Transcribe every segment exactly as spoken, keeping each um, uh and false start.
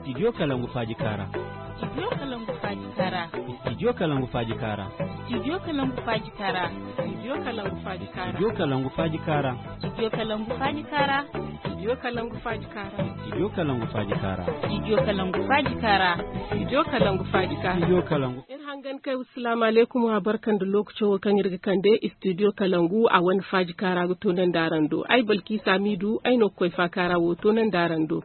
Studio Kalangu Faaji Kaara. Studio Kalangu Faaji Kaara. Studio Kalangu Faaji Kaara. Studio Kalangu Faaji Kaara. Studio Kalangu Faaji Kaara. Studio Kalangu Faaji Kaara. Studio Kalangu Faaji Kaara. Studio Kalangu Faaji Kaara. Studio Kalangu Faaji Kaara. Studio Kalangu Faaji Kaara. Studio Kalangu Faaji Kaara. Studio Kalangu. Iri hangan kay, assalamu alaikum, wa barka nda lokaco wo kaŋ iri ga kande Studio Kalangu a wane Faaji Kaara ga toonandi araŋ do. Ay Balkisa Midu, ay no ga koy Faakaara wo toonandi araŋ do.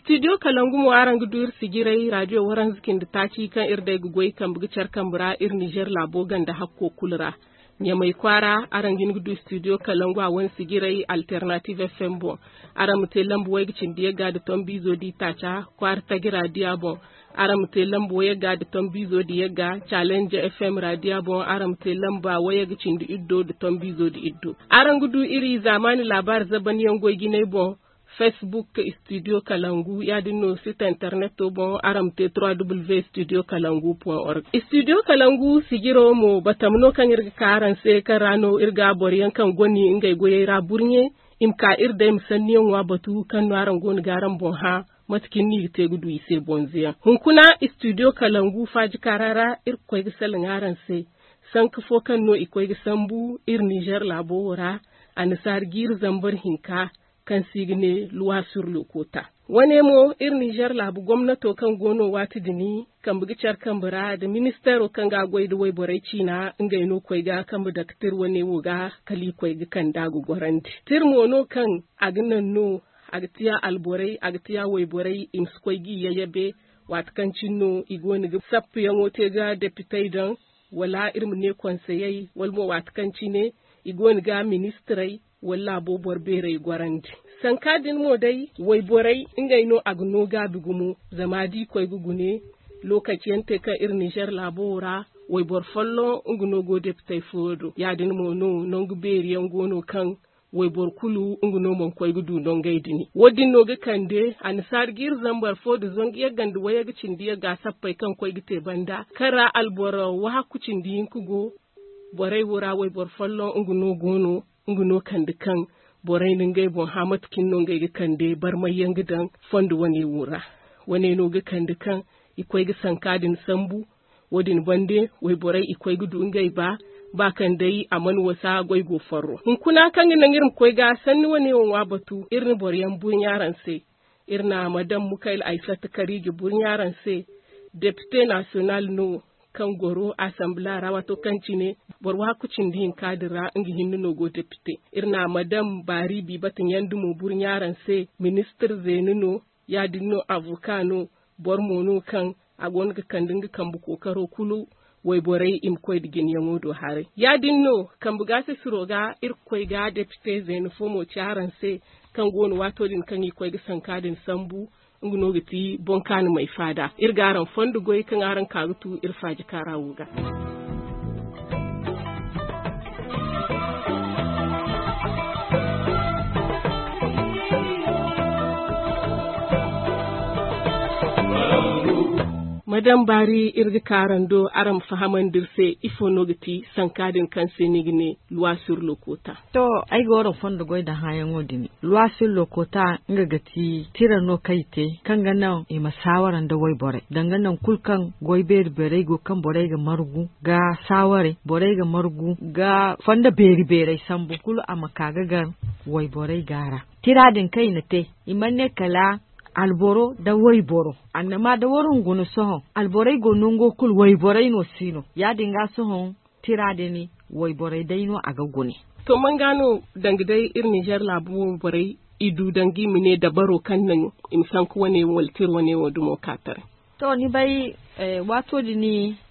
Studio Kalangu mo, araŋ ga du iri sijiray, radio waranza cindi taaci kaŋ iri day ga goy kambe ga care kambe ra iri Niger laabo ganda hakko kulu ra. Ɲamay kwaara, araŋ ga hin ga du Studio Kalangu a wane sijiray Alternative F M boŋ. Araŋ ma te lamba way ga cindi yagga nda tombiizo da itaaca kwaara tagira diya boŋ. Araŋ ma te lamba wayagga nda tombiizo nda yagga Challenge F M ra diya boŋ. Araŋ ma te lamba wayagga cindi iddo nda tombiizo nda iddo. Araŋ ga du iri zaamaani laabaari zaban yaŋ goy jinay boŋ. Facebook Studio Kalangu, ya-din no site interneto boŋ. Araŋ ma te trois W Studio Kalangu point org. Studio Kalangu sijiro mo, batama no kaŋ iri ga ka araŋ se, kaŋ ra no iri ga boro yaŋ kaŋ goni ngey goyey ra burɲe, i ma ka iri day ma sanniyaŋo a batu kaŋ no araŋ go no ga araŋ boŋ hã. Mate kaŋ ni ga te ga du i se bonzoyaŋ. Hunkuna Studio Kalangu Faaji Kaara ra, iri ga koy ga salaŋ araŋ se sanka fo kaŋ no i koy ga sambu iri Niger laabo wo ra, annasaara jiiri zambar hinka kaŋ se i ga ne Loi sur le quota. Wane mo, iri Niger laabu gomnato kaŋ go no waati din kambe ga care kambe ra nda ministeero kaŋ ga goy nda wayborey ciina, ngey no koy ga kambe dake tira wane wo ga, kala i koy ga kand'a ga gorandi. Tira mo no kaŋ a ga naŋ no a ga tiya alborey, a ga tiya wayborey, i ma si koy g'i yayabe, waati kaŋ cine no i go no ga sappuyaŋo te ga depitey daŋ, wala iri ma ne konseyey, wala mo waati kaŋ cine i go no ga ministirey wala laabo boro beerey gorandi. Sanka din mo day, wayborey, ngey no a ga no gaabi gumo, zama da i koy ga gune, lokaci yaŋ te kaŋ iri Niger laabo wo ra, wayboro folloŋ nga no go depitey fooyaŋ do. Ya-din mo no, nangu beeri yaŋ go no kaŋ wayboro kulu nga no mana koy ga du nangey din. Wo-din no ga kande annasaara jiiri zambar fo nda zangu yagga nda wayagga cindi yagga sappey kaŋ koy ga te banda, kaŋ ra alboro wahakku cindi hinka go. Borey wo ra wayboro folloŋ nga no go no, nga no kande kaŋ borey na ngey boŋ hã mate kaŋ no ngey ga kande barmay yaŋ ga daŋ fondo wane wo ra. Wane no ga kande kaŋ i koy ga sanka din sambu. Wo-din bande, wayborey i koy ga du ngey ba, ba kaŋ day a mana wasa goy go farro. Hunkuna kaŋ ga naŋ iri ma koy ga sanni wane wo ŋwa batu, iri na boro yaŋ burɲa araŋ se. Iri na madam Mukayla Aysata Kariije burɲa araŋ se, depite nasiyonal no kaŋ goro asambila ra, waato kaŋ cine boro wahakku cindi hinka din ra nga hinne no go depite. Iri na madam Baari Bibata Ɲandi mo burɲa araŋ se, ministir zeena no, ya-din no avoka no, boro mo no kaŋ a go no ga kande nga kambe kookaro kulu wayborey i ma koy nda jinayaŋo do haray. Ya-din no, kambe gaasisiro ga iri ga koy ga depite zeena fo mo ci araŋ se, kaŋ go no waato din kaŋ i koy ga sanka din sambu, nga no ga ti boŋ kaani may faada. Iri ga araŋ fondo goy kaŋ araŋ ka ga tu iri faaji kaara wo ga. Madam Baari, iri ga ka araŋ do, araŋ ma fahamandi iri se, ifo no ga ti sanka din kaŋ se ni ga ne loi sur le quota? To, ay ga waraŋ fondo goy da hããyaŋo din. Loi sur le quota, nga ga ti tira no kaŋ i te, kaŋ ga naŋ i ma saawara nda wayborey. Danga naŋ kulu kaŋ goy beeri beerey go, kaŋ borey ga margu ga saawaray, borey ga margu ga fondo beeri beerey sambu, kulu a ma ka ga gar wayborey gaara. Tira din kaŋ i na te, i mana ne kala alboro da wayboro. Annama da waraŋ guna sohõ, alborey go nango kulu, wayborey no si no. Ya-din ga sohõ, tira din wayborey day no a ga gune. To, manga no, danga day iri Niger laabu wayborey, i du danga i ma ne dabaro kaŋ naŋ i ma sanka wane wo, wala tira wane wo dumo ka taray? To, ni bay, eh, waato din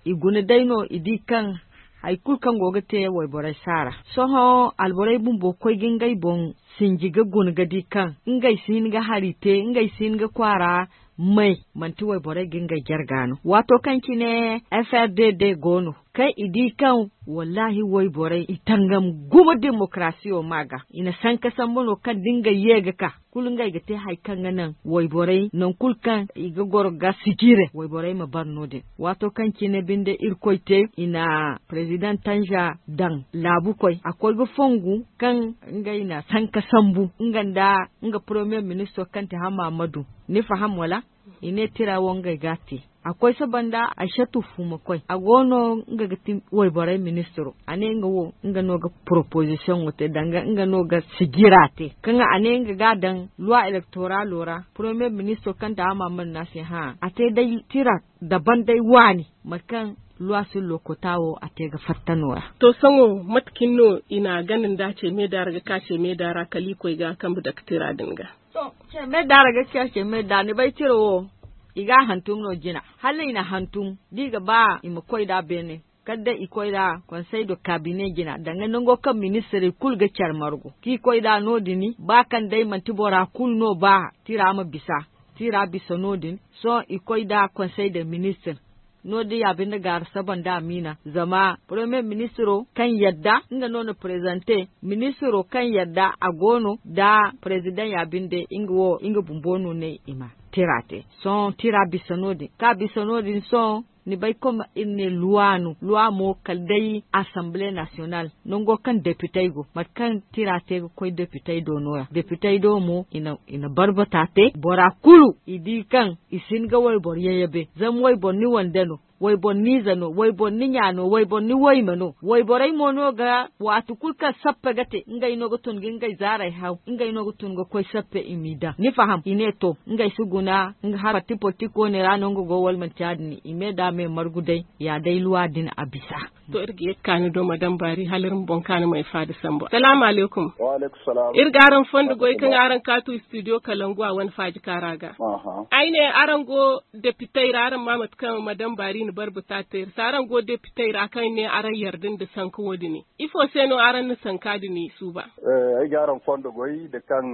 i guna day no, i di kaŋ hay kulu kaŋ go ga te wayborey si a ra. Sohõ alborey bumbo koy ga ngey boŋ sinji ga guna ga di kaŋ ngey si hin ga hari te, ngey si hin ga kwaara may, manti wayborey ga ngey jarga no. Waato kaŋ cine F R D D go no, Kaŋ i di kaŋ, wallahi, wayborey i tangam gumo demokarasiyo ma ga. I na sanka sambu no kaŋ da ngey ye ga ka, kulu ngey ga te hari kaŋ ga naŋ wayborey nangu kulu kaŋ i ga goro ga sijire, wayborey ma bar no-din. Waato kaŋ cine binde Irkoy te, i na President Tanja daŋ laabu koy. A koy ga fongu kaŋ ngey na sanka sambu nga nda nga Premier Ministro kaŋ te Hamma Amadu. Ni faham, wala? I ne tira wo ngey ga a te. A koy saba nda Aysatu Fumakoy. A go no nga ga ti wayborey ministro. A ne nga wo, nga no ga proposition wo te, danga nga no ga sijira te. Kaŋ a ne nga ga a daŋ loi électoralo ra, Premier Ministro kaŋ te Hamma Amadu ne a se, hã, a te day tira daban day waani, mate kaŋ loi sur le quota wo a te ga fatta no-ya. To, sohõ mate kaŋ no i na a gana nda a ce me da ra ga ka ce me da ra kala i koy ga a kambe dake tira din ga? To, ce me da ra ga ka ce me da, ni bay tira wo, i ga a hantum no jina. Hala i na hantum, da i ga ba i ma koy nd'a beene, kala day i koy nd'a Conseil de Cabinet jina, danga nango kaŋ ministirey kulu ga care margu. Kaŋ i koy nd'a no-din, ba kaŋ day manti bora kulu no ba tira ma bisa. Tira bisa no-din, sohõ i koy nd'a Conseil des Ministres. No-din ya binde gaara saba nda Amina, zama Premier Ministro kaŋ yadda, nga no na prezante, Ministro kaŋ yadda a go no nda President ya binde, nga wo, nga bumbo no ne i ma tira te. Sohõ tira bisa no-din. Kaŋ a bisa no-din sohõ, ni bay, comme iri ne loi no, loi mo kala day Assemblée Nationale, nango kaŋ depitey go, mate kaŋ tira te ga koy depitey do no-ya. Depitey do mo, i na, i na barbata te, bora kulu, i di kaŋ i si hin ga wayboro yayabe, zama wayboro ni wande no, wayboro ni ize no, wayboro ni ɲa no, wayboro ni wayme no. Wayborey mo no ga, waati kulu kaŋ sappe ga te, ngey no ga tun ga ngey zaarey haw, ngey no ga tun ga koy sappe i m'i daŋ. Ni faham? I ne to, ngey si guna, nga hala parti politik wane ra no nga go, wala manti ya-din, i me da me margu day, ya day loi din a bisa. To, iri ga ye ga ka ni do, Madame Bari, hala iri ma boŋ ka ni ma ay faada sambu. Salaamu alaykum. Wa alaykum salaam. Iri ga araŋ fondo goy kaŋ araŋ kaatu studio Kalangu a wane faaji kaara ga. Aha. Ay ne araŋ go depitey ra, araŋ ma mate kaŋ Madame Bari na barba ta te iri se, araŋ go depitey ra kaŋ ne araŋ yarda nda sanka wo-din. Ifo se no araŋ na sanka din suuba? Eh, ay ga araŋ fondo goy da kaŋ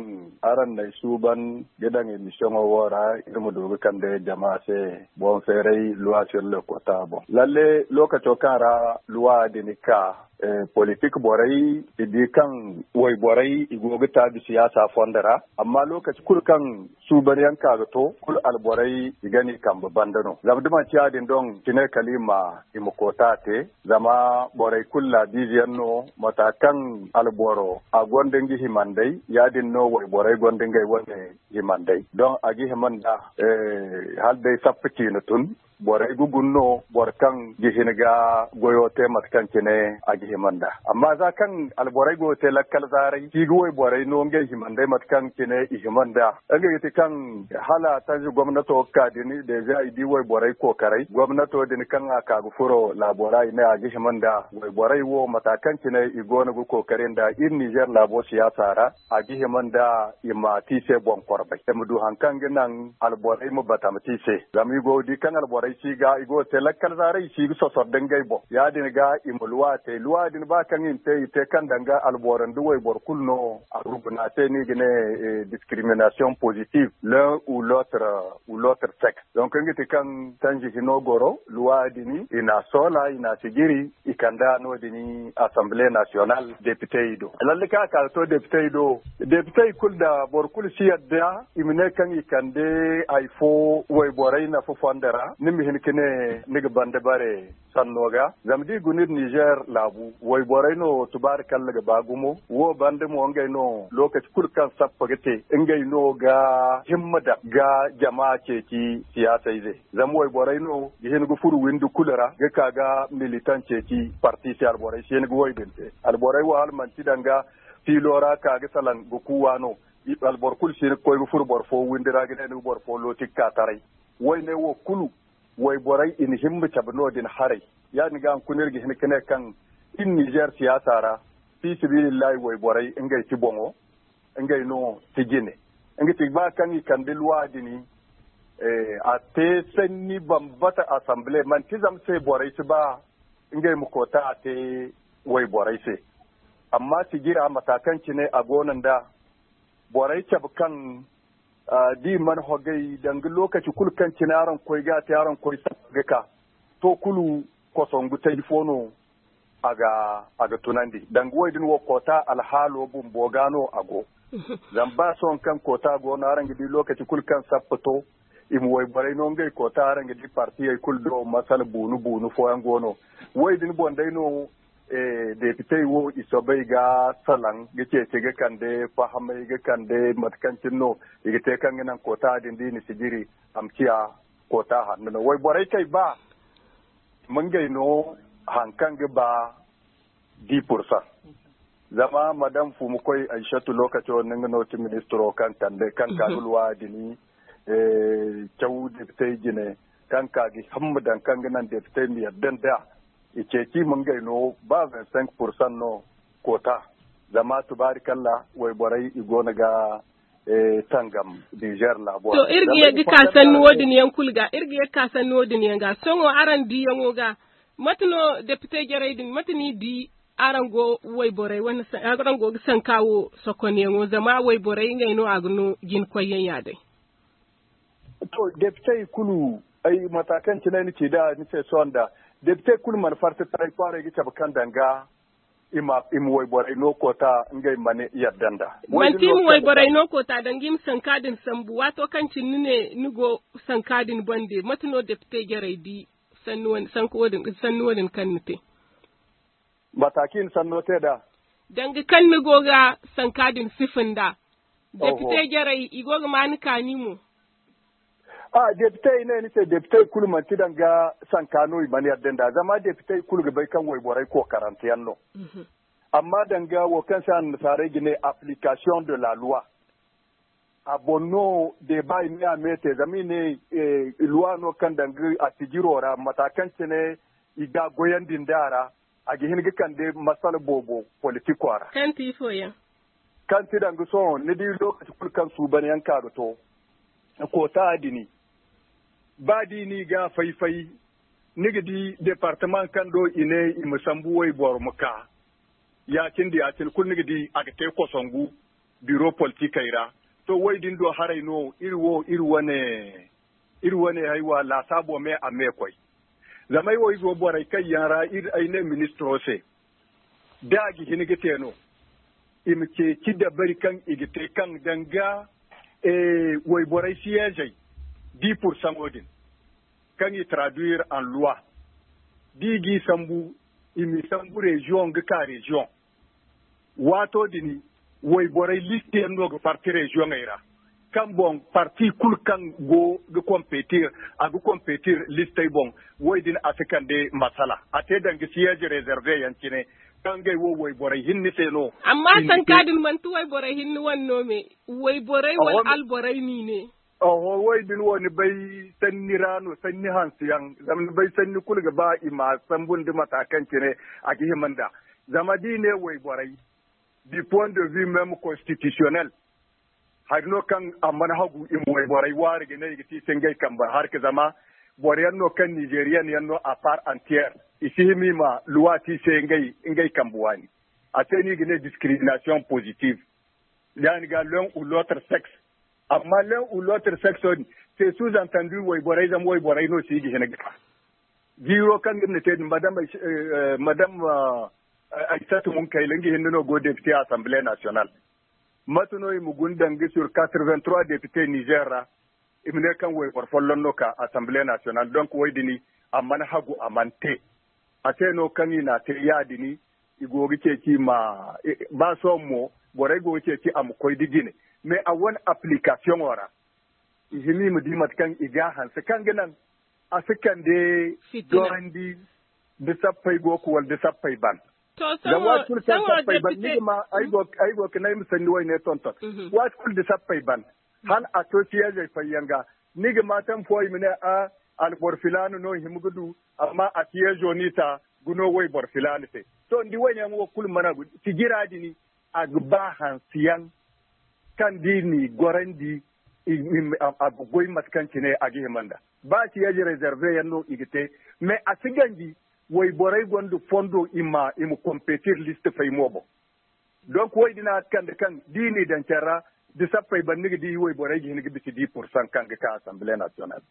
araŋ n'ay suuban ga daŋ emisiyoŋo wo ra, iri ma du ga kande jama se boŋ feeray loi sur le quota boŋ. Lalle, lokaco kaŋ ra loi din ka, eh, politik borey, i di kaŋ wayborey i go ga taabi siyaasa fondo ra. Amma lokaci kulu kaŋ suubanyaŋ ka ga to, kulu alborey i ga n'i kambe banda no. Zama da manti ya-din doŋ, cine kala i ma, i ma koota te. Zama borey kulu laabiize yaŋ no, mata kaŋ alboro a gonda nga himandey, ya-din no wayborey gonda ngey wane himandey. Doŋ a ga hima nda, eh, hala day sappa ciine tun, borey ga guna no, boro kaŋ ga hin ga goyo te mate kaŋ cine a ga hima nda. Amma za kaŋ alborey go ga te lakkal zaaray, kaŋ i ga wayborey no ngey himandey mate kaŋ cine i hima nda. Nga ga ti kaŋ hala tanzi gomnato ga ka din, deja i di wayborey kookaray. Gomnato din kaŋ a ka ga furo laabo ra, i ne a ga hima nda wayborey wo, mata kaŋ cine i go no ga kookari nda iri Nizer laabo siyaasa ra, a ga hima nda i ma te i se boŋ korbay. I ma du haŋ kaŋ ga naŋ alborey ma batama te i se. Zama i go ga di kaŋ alborey si ga, i go ga te lakkal zaaray, i si ga sosor da ngey boŋ. Ya-din ga i ma luwa te. Luwa din ba kaŋ i na te, i te kaŋ danga alboro nda wayboro kulu no a ruguna te, no i ga ne, eh, discrimination positive, l'un ou l'autre, ou l'autre sexe. Donc, nga ti kaŋ tanzi hino goro, luwa din, i na soola, i na sijiri, i kande no-din Assemblée Nationale depitey do. Lalle kaŋ a ka ga to depitey do, depitey kulu da boro kulu si yadda, i ma ne kaŋ i kande hay fo wayborey nafa fondo ra, ni ma hin ka ne ni ga banda bare sanno ga. Zama da i guna iri Nizer laabu, wayborey no tubaari kalla ga ba gumo. Wo banda mo ngey no lokaci kulu kaŋ sappa ga te, ngey no ga himma daŋ ga jama ceeci siyaasayze. Zama wayborey no ga hin ga furo windi kulu ra, ga ka ga militan ceeci parti se, alborey si hin ga wo-din te. Alborey wo hala manti danga fiilo ra ka ga salaŋ ga kuuwa no. I, alboro kulu si hin ga koy ga furo boro fo windi ra ga ne ni ga boro fo looti ga ka taray. Woyne wo kulu, wayborey i na himma cabe no-din haray. Ya-din ga hunkuna iri ga hin ga ne kaŋ iri Nizer siyaasa ra, fi sabilillahi, wayborey ngey ti boŋo, ngey no ti jine. Nga ti ba kaŋ i kande luwa din, eh, a te sanni bambata assemblée, manti zama se borey si ba ngey ma koota a te wayborey se. Amma sijira mata kaŋ cine a goono nda borey cabe kaŋ, ah, da i mana hogay danga lokaci kulu kaŋ cine araŋ koy ga a te, araŋ koy sappa ga ka. To kulu kosongu taji fo no a ga tunandi. Danga wo din wo koota alhaalo bumbo ga no a go. Zama ba sohõ kaŋ koota go no araŋ ga di lokaci kulu kaŋ sappa to i ma wayborey no ngey koota araŋ ga di partiyey kulu do masala buunu buunu fooyaŋ go no. Wo din boŋ day no depitey wo i soobay ga salaŋ ga ceeci ga kande fahamay ga kande mate kaŋ cine no i ga te kaŋ ga naŋ koota din da i na si jiri a ma ciya koota hanno no wayborey kay ba i ma ngey no haŋ kaŋ ga ba di pursan. Zama madam fumu koy aishatu lokaco ninga no ti ministro kaŋ kande kaŋ ka ga luwa dini caw depitey jine kaŋ ka ga hamma daŋ kaŋ ga naŋ depitey ma yadda nda i ceeci ma ngey no ba vingt cinq pursan no koota. Zama tubaari kalla wayborey i go no ga tangam niger laabo to iri ga ye ga ka sanni wo- din yaŋ kulu ga iri ga ye ga ka sanni wo- din yaŋ ga sohõ araŋ diyaŋo ga mate no depite jarey din mate no i di araŋ go wayborey araŋ go ga sanka wo sokonyaŋo zama wayborey ngey no a ga no jina koyyaŋ ya day. To depitey kulu ay mata kaŋ cine ay na ci da ni se sohõ nda depitey kulu mana farti taray kwaaray ga cabe kaŋ danga i ma wayborey no koota ngey mana yadda nda manti i ma wayborey no koota danga i ma sanka din sambu waato kaŋ cine ni ne ni go sanka din bande mate no depite jarey di sanni wo- din kaŋ ni te mata kaŋ i na sanno te da danga kaŋ ni go ga sanka din sifa nda depite jarey i go ga ma ni kaani mo a depite i ne ni se depite kulu manti danga sanka no i mana yadda nda zama depite kulu ga bay kaŋ wayborey kookaranteyaŋ no amma danga wo kaŋ se annasaarey ga ne application de la loi a boŋ no deba i ne a me te zama i ne luwa no kaŋ danga a sijiro ra mata kaŋ cine i ga goyandi nda a ra a ga hin ga kande masala boobo politiko ra kaŋ ti danga sohõ ni di lokaci kulu kaŋ suuban yaŋ ka ga to koota dini ba di ni ga fay-fay ni ga di departement kaŋ do i ne i ma sambu wayboro ma ka ya-cine da ya-cine kulu ni ga di a ga te kosongu biro politikey ra to wo- din do haray no iri wo iri wane iri wane haywa laasaabo me a meekoy zama ay wo izo borey kaŋ yaŋ ra ay ne ministiro se da a ga hin ga te no i ma ceeci dabari kaŋ i ga te kaŋ danga wayborey siyeezey di pursaŋo din kaŋ i traduire en loi da i g'i sambu i m'i sambu reziyoŋ ga ka reziyoŋ waato din wayborey listeyaŋ no ga parti reziyoŋey ra kaŋ boŋ parti kulu kaŋ go ga kompetir a ga kompetir listey boŋ wo- din a si kande masala a te danga siyeezi rezerve yaŋ cine kaŋ ngey wo wayborey hinne se no amma sanka din manti wayborey hinne wane no me wayborey wala alborey no i ne oho wo- din wo ni bay sanni ra no sanni hanse yaŋ zama ni bay sanni kulu ga ba i ma sambu nda mata kaŋ cine a ga hima nda zama da i ne wayborey du point de vue même constitutionnel hari no kaŋ a mana hagu i ma wayborey waari ga ne i ga te i se ngey kambe harka zama boro yaŋ no kaŋ nigerian yaŋ no à part entière i si hima i ma luwa te i se ngey kambe waani a se no i ga ne discrimination positive yaani ga l'un ou l'autre sexe amma l'un ou l'autre sexe din c'est sous entendu wayborey zama wayborey no se i ga hina ga ka jiiro kaŋ iri na te din madame madame aysatu munkayla nga hinne no go député assemblée nationale mate no i ma guna danga sur quatre-vingt-trois député niger ra i ma ne kaŋ wayboro folloŋ no ka assemblée nationale donc way dini a mana hagu a mana te a se no kaŋ i na te ya dini i go ga ceeci ma ba sohõ mo borey go ga ceeci a ma koy da jine mais a wane application ra i hima i ma di mate kaŋ i ga hanse kaŋ ga naŋ a si kande dorandi da sappey go ga wala da sappey ban zama waati kulu kaŋ sappey ban ni ga ma ay go ga naŋ ay ma sanni wayne tonton waati kulu da sappey ban hala a to siyeezey fayyaŋ ga ni ga ma taŋ fo i ma ne a alboro filaana no i hima ga du amma a siyeezo n'i ta ga no wayboro filaana se to ni di wayne yaŋ wo kulu mana sijira dini a ga ba hanse yaŋ kaŋ da i n'i gorandi a ga goy mate kaŋ cine a ga hima nda ba siyeezi reserve yaŋ no i ga te mais a si ganji wayborey gonda fondo i ma i ma compétir liste fay mo boŋ donc wo- din a ga kande kaŋ da i n'i daŋ care ra da sappey banda ga di wayborey ga hin ga bisa di pourcent kaŋ ga ka assemblée nationale.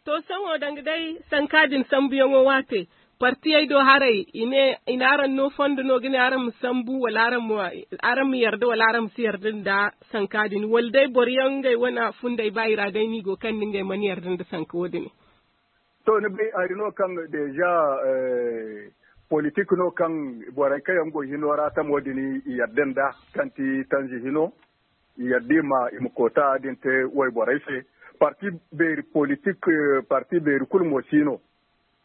To sohõ danga day sanka din sambuyaŋo waate Partiyey do haray, i ne i na araŋ no fondo no ga ne araŋ ma sambu wala araŋ ma yarda wala araŋ ma si yarda nda sanka din wala day boro yaŋ ngey wane fundey ba i ra day no i go kaŋ nda ngey mana yarda nda sanka wo- din. To ni bay hari no kaŋ deja politik no kaŋ borey kaŋ yaŋ go hino ra tamo din i yarda nda kaŋ ti tanzi hino i yadda i ma i ma koota din te wayborey se. Parti beeri politik, parti beeri kulu mo si no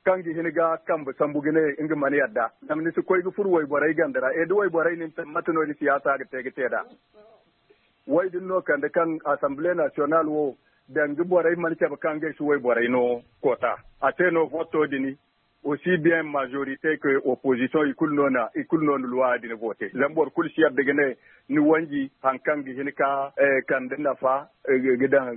kaŋ ga hin ga kambe sambu ga ne nga mana yadda zama ni si koy ga furo wayborey ganda ra e da wayborey nin te mate no ni siyaasa ga te ga te nd'a. Way din no kande kaŋ assemble national wo danga borey mana cabe kaŋ ngey si wayborey no koota a te no voto din. Aussi bien majorité que opposition i kulu no na i kulu no na luwa din vote zama boro kulu si yadda ga ne ni wanji hari kaŋ ga hin ka kande nafa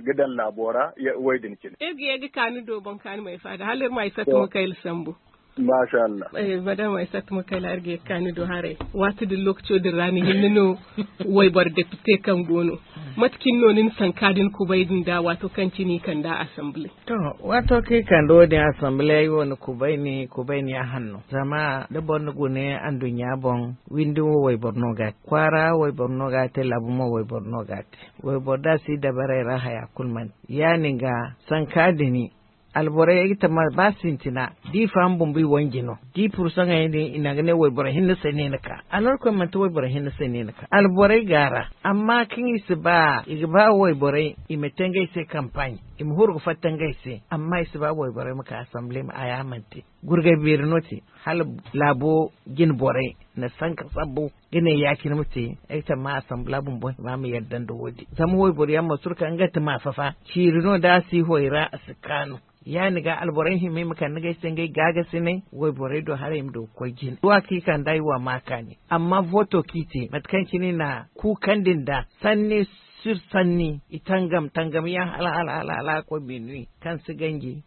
ga daŋ laabo ra. Way din cine iri ga ye ga kaani do boŋ kaani ma ay faada hala iri ma ay satta ma kayla sambu. Masha Allah. Madama ay satta ma kayla iri ga ye ga kaani do haray waati din lokaco din ra ni hinne no wayboro depite kaŋ go no mate cine no ni na sanka din kubay din da waato kaŋ cine i kand'a assemble. To, waato kaŋ i kande wo- din assemble ay wo ni kubay ni kubay ni a hanno zama da boro ni gune anduɲɲa boŋ windi wo wayboro no ga a te kwaara wayboro no ga a te laabu mo wayboro no ga a te. Wayboro da si dabarey ra haya kulu mana te ya- din ga sanka din alborey ga tama ba sintina da i faham bumbo i wanji no da i pursaŋey din i na ga ne wayboro hinne se no i na ka alhorkoy manti wayboro hinne se no i na ka alborey ga a ra. Amma kaŋ i si ba i ga ba wayborey i ma te ngey se kampaaɲ i ma huru ga fatta ngey se amma i si ba wayborey ma ka assemble ma a ya mana te. Gurgay beeri no te hala laabo jine borey na sanka sambu ga ne ya- cine ma te. Ay tamma assemble bumbo hima ma yadda nda wo- din zama wayboro yaŋ ma surka nga ti ma fafa ciiri no da a si hoy ra a si kaanu. Ya- din ga alborey hima i ma kande ngey se ngey gaagasinay wayborey do haray i ma du ga koy jine wa kaŋ i kand'a i wa ma kaani. Amma voto kaŋ i te mate kaŋ cine i na kuukandi nda sanni sur sanni i tangam tangam yaŋ hala hala hala hala a koy minuit kaŋ si ganji.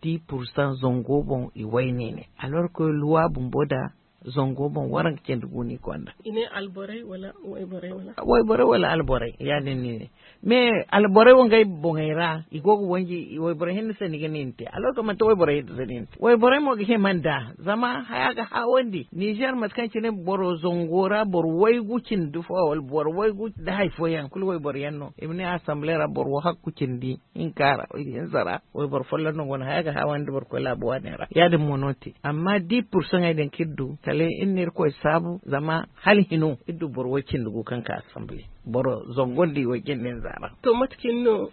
Dix pour cent zango boŋ i wayne ne alors que luwa bumbo da zango boŋ waranka cindi gu no i konda. I ne alborey wala wayborey wala wayborey wala alborey ya- din no i ne. Mais alborey wo ngey boŋey ra i go ga wanji wayborey hinne se ni ga ne ni te alors que manti wayborey hinne se ni ne ni te wayborey mo ga hima nda. Zama haya ga haawandi nizer mate kaŋ cine boro zango ra boro waygu cindi fo wala boro waygu da hari fooyaŋ kulu wayboro yaŋ no i ma ne assemble ra boro wahakku cindi hinka ra hinza ra wayboro folloŋ no go no haya ga haawandi boro koy laabu waaney ra ya- din mo no te. Amma dix pour cent ŋey din kaŋ iri du kala iri na irkoy saabu zama hala hino iri du boro way cindi gu kaŋ ka assemble boro zango nda i way cindi hinza ra. To mate cine no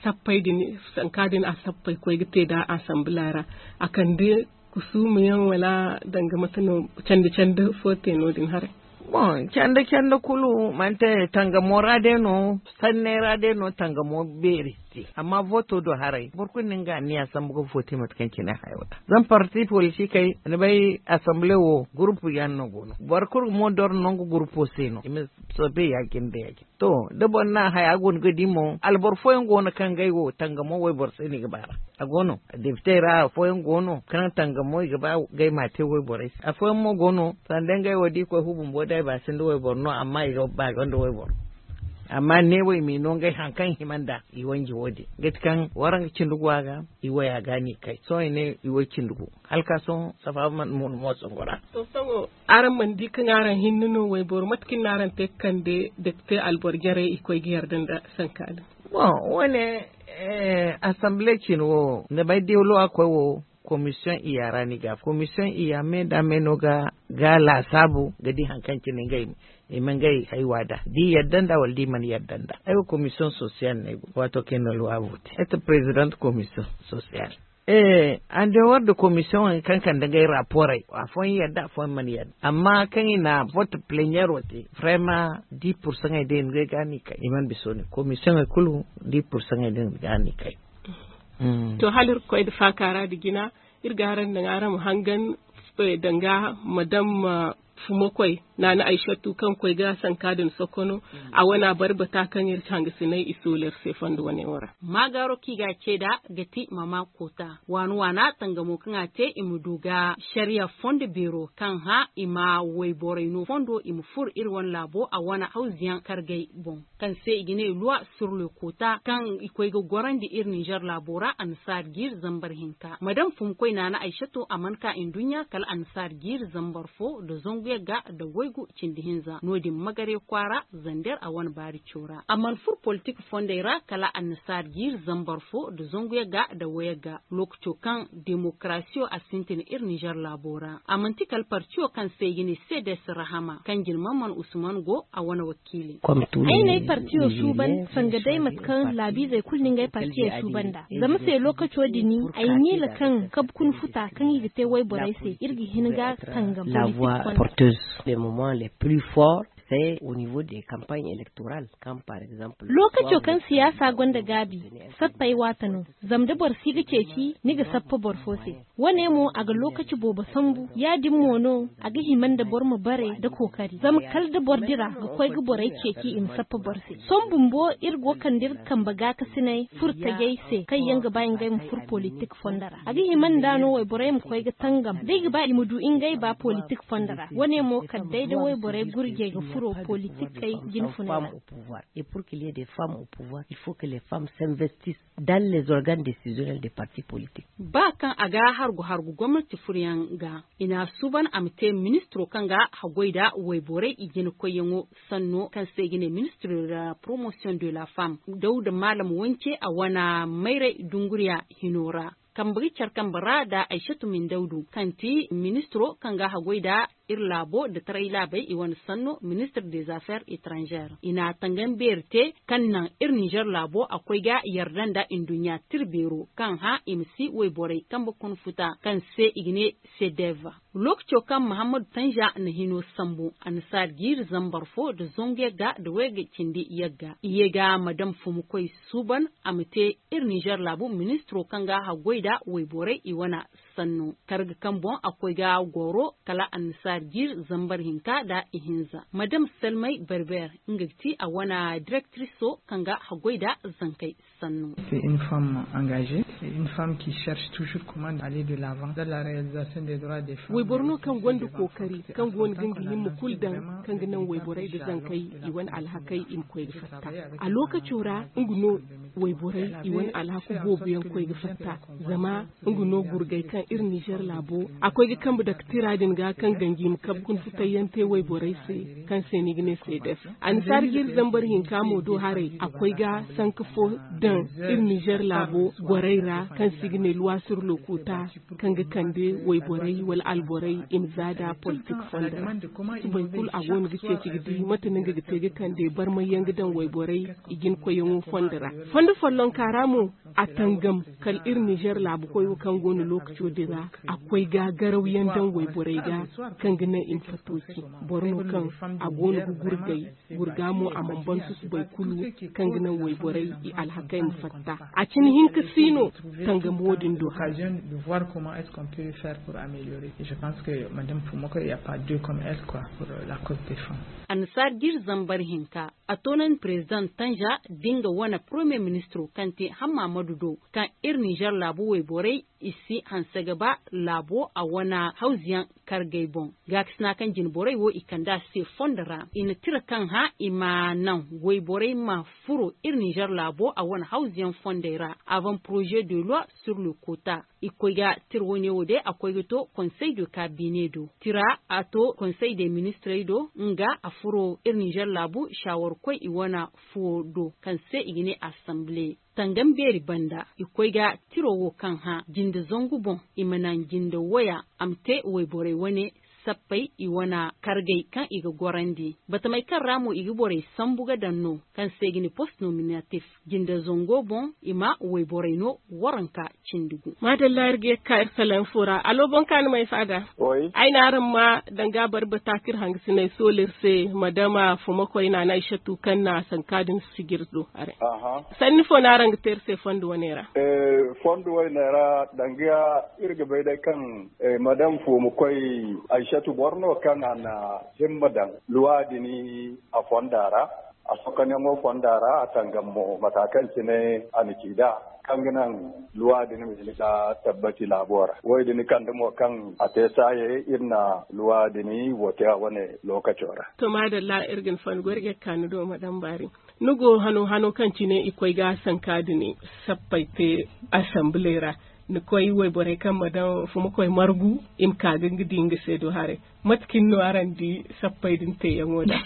sappey din sanka din a sappey koy ga te nd'a assemble ra a kande kusuuma yaŋ wala danga mate no candi candi fo te no- din haray? Bon canda canda kulu manti tangamo ra day no sanney ra day no tangamo beeri si te amma voto do haray boro kulu na nga anniya sambu ga vote mate kaŋ cine hayo da zama parti politikey ni bay assemble wo groupe yaŋ no go no boro kulu mo doro nangu groupo se no i ma soobay ya- cine nda ya- cine. To da boro na haya go no ga di mo alboro fooyaŋ go no kaŋ ngey wo tangamo wayboro se no i ga ba ra. A go no depite ra fooyaŋ go no kaŋ tangamo i ga ba ngey ma te wayborey se afooyaŋ mo go no sanda ngey wo da i koy fu bumbo day ba sinda wayboro no amma i ga ba gonda wayboro. Amma neewo i m'i no ngey haŋ kaŋ hima nda i wanji wo- din ga ti kaŋ waraŋ ga cindi go a ga i waya ga no i kay sohõ i ne i way cindi gu hala ka sohõ safa mana mo songo ra. To sohõ araŋ mana di kaŋ araŋ hinne no wayboro mate kaŋ no araŋ te ga kande depite alboro jarey i koy ga yarda nda sanka din? Bon wo- ne assemble cine wo ni bay deelowa koy wo commission iya ra no i ga a fo commission iya me nda me no ga laasaabu ga di hari kaŋ cine ngey i ma ngey haywa da da i yadda nda wala da i mana yadda nda ay wo commission social no ay go waato kaŋ i na luwa vote ay ti president commission social. Ee, en dehors de commission kaŋ kande ngey rapporey afooyaŋ yadda afooyaŋ mana yadda amma kaŋ i na vote plenière wo te vraiment dix pour cent ŋey day ngey ga no i kay i mana bisa wo- din commission ŋey kulu dix pour cent ŋey day ga no i kay. To hala iri ga koy nda faaka ra nda jina iri ga araŋ daŋ araŋ ma hangan danga madame fumo koy. Naana aysatu kaŋ koy ga sanka din sokono. A wana bari bata kaŋ iri hangasinay i solar se fondo wane wo ra. Maagaaro kaŋ i ga a ce nd'a ga ti mama koota waana waana tangamo kaŋ a te i ma du ga sariya fondo beero kaŋ hã i ma wayborey no fondo i ma furo iri wane laabo a wane hawzuyaŋ kargey boŋ, kaŋ se i ga ne loi sur le koota kaŋ i koy ga gorandi iri ninzeer laabo ra annasaari jiiri zambar hinka madam fumkoy naana aysato a mana ka nduɲɲa kala annasaari jiiri zambar fo nda zangu yagga nda waygu cindi hinza no- din magarya kwaara zander a wane baari caw ra a mana furo politik fondey ra kala annasaari jiiri zambar fo nda zangu yagga nda wayagga lookaco kaŋ demokarasiyo a sintin iri ninzeer laabo ra a manti kala partiyo kaŋ se i ga ne sedes rahama kaŋ jina man man usman go a wane wakiiley. Ay n'ay partiyo suuban sanga day mate kaŋ laabiizey kulu na ngey partiyo suuban nd'a zama se lookaco din ay miila kaŋ kabu kuna futa kaŋ i ga te wayborey se iri ga hin ga tangam politik fondey. Le moment le plus fort se au niveau de campagne electorale quand par exemple lookaco kaŋ siyaasa gonda gaabi sappey waata no. Zama da boro si ga ceeci ni ga sappa boro fo se. Wane mo a ga lookaci boobo sambu ya- din mo no a ga hima nda boro ma bare nda kookari zama kala da boro dira ga koy ga borey ceeci i ma sappa boro se sohõ bumbo iri go kande iri kambe gaakasiney furo tajey se kaŋ yaŋ ga ba ngey ma furo politik fondo ra a ga hima nda no wayborey ma koy ga tangam da i ga ba i ma du ngey ba politik fondo ra wane mo kala day da wayborey gurjey ga furo politikey jine funay ra. Pouvoir et pour qu'il y ait des femmes au pouvoir il faut que les femmes s'investissent dans les organes décisionnels des partis politiques. Ba kaŋ a ga hargu hargu gomnati furyaŋ ga i n'a suuban a ma te ministiro kaŋ ga haggoy nda wayborey i jina koyyaŋo sanno kaŋ se i ga ne ministiro de la promotion de la femme dawda maalam wance a wane mayray dunguriya hino ra. Kambe ga care kambe ra nda aysatu mindawdu kaŋ ti ministiro kaŋ ga haggoy nda iri laabo nda taray laabey i wane sanno ministir des affaires étrangères i na a tangam beeri te kaŋ naŋ iri ninzeer laabo a koy ga yarda nda nduɲɲa tira beero kaŋ hã i ma si wayborey kambe kuna futa kaŋ se i ga ne sedev. Lookaco kaŋ mahammadu tanja na hino sambu annasaari jiiri zambar fo nda zangu yagga nda wayga cindi yagga i ye ga madam fumukoy suuban a ma te iri ninzeer laabu ministiro kaŋ ga haggoy nda wayborey i wane sanno karga kaŋ boŋ a koy ga goro kala annasaari jiiri zambar hinka nda ihinza madam salmay berber nga ga ti a wane direktriso kaŋ ga haggoy nda zankey sanno. C'est une femme engagée, c'est une femme qui cherche toujours comment aller de l'avant dans la réalisation des droits des femmes. Wayboro no kaŋ gonda kookari kaŋ go no ga nga himma kulu daŋ kaŋ ga naŋ wayborey nda zankey i wane alhakey i ma koy ga fatta. A lookaco ra nga no wayborey i wane alhaku boobo yaŋ koy ga fatta. Zama nga no gurgay kaŋ iri ninzeer laabo a koy ga kambe dake tira din ga kaŋ ganji ma kabe kuna futayyaŋ te wayborey se kaŋ se ni ga ne seedef. Annasaari jiiri zambar hinka mo do haray a koy ga sanka fo daŋ iri ninzeer laabo gorey ra kaŋ se i ga ne luwa sur lokuta kaŋ ga kande wayborey wala alborey i ma za nda politik fondo ra. Subay kulu a go no ga ceeci ga di mate no nga ga te ga kande barmayyaŋ ga daŋ wayborey i jina koyyaŋo fondo ra. Fondo follonka ra mo a tangam kala iri ninzeer laabu koyo kaŋ go no lookaco din ra a koy ga garawyaŋ daŋ wayborey ga kaŋ ga naŋ i ma fattooci. Boro no kaŋ a go no ga gurgay gurga mo a mana ban susubay kulu kaŋ ga naŋ wayborey i alhakey ma fatta. A cine hinka si no tangam wo- din do hara. Annasaari jiiri zambar hinka a toonandi president tanja da nga wane premier ministro kaŋ te hammaamadu do kaŋ iri ninzeer laabo wayborey i si hanse ga ba laabo a wane hawzuyaŋ kargey boŋ. Gaakasina kaŋ jine borey wo i kande a se fondo ra i na tira kaŋ hã i ma naŋ wayborey ma furo iri ninzeer laabo a wane hawzuyaŋ fondey ra avant projet de loi sur le kota. I koy ga tira wane wo day a koy ga to konsey de kabine do tira a to konsey de ministrey do nga a furo iri ninzeer laabu shaawarkoy i wane fuwo do kaŋ se i ga ne asamble. Tangam beeri banda i koy ga tiro wo kaŋ hã jinde zangu boŋ i ma naŋ jinde waya a ma te wayborey wane sappey i wane kargey kaŋ i ga gorandi batamey kaŋ ra mo i ga borey sambu ga daŋ no kaŋ se i ga ne post nominatif jinde zango boŋ i ma wayborey no waranka cindi gu. Maadalla iri ga ye ga ka iri salaŋ fo ra alo boŋ kaani ma ay faada. Ay na araŋ ma danga bari bata kaŋ iri hangasiney sohõ iri se madama fumakoy naana aysatu kaŋ na sanka din sijir do haray. Sanni fo no araŋ ga te iri se fondo wane ra? Fondo wane ra danga iri ga bay day kaŋ madama fumakoy aysatu Katu boro no kaŋ a na himma daŋ luwa din a fonda ra, a sokonyaŋo fonda ra, a tangam mo mata kaŋ cine a na ci nd'a, kaŋ ga naŋ luwa din ma hin ga tabbati laabo ra. Wo-din kande mo kaŋ a te saaye, iri na luwa din wo te a wane lookaco ra. To, maadalla, iri ga ni fonda goy, iri ga ye ga ka ni do, Madam Bari. Ni go hano, hano kaŋ cine i koy ga sanka din sappey te asamble ra. Ni koy wayborey kaŋ ma daŋ fuma koy margu, i ma ka ga nga di nga se do haray. Mate cine no araŋ di sappey din teeyaŋo da?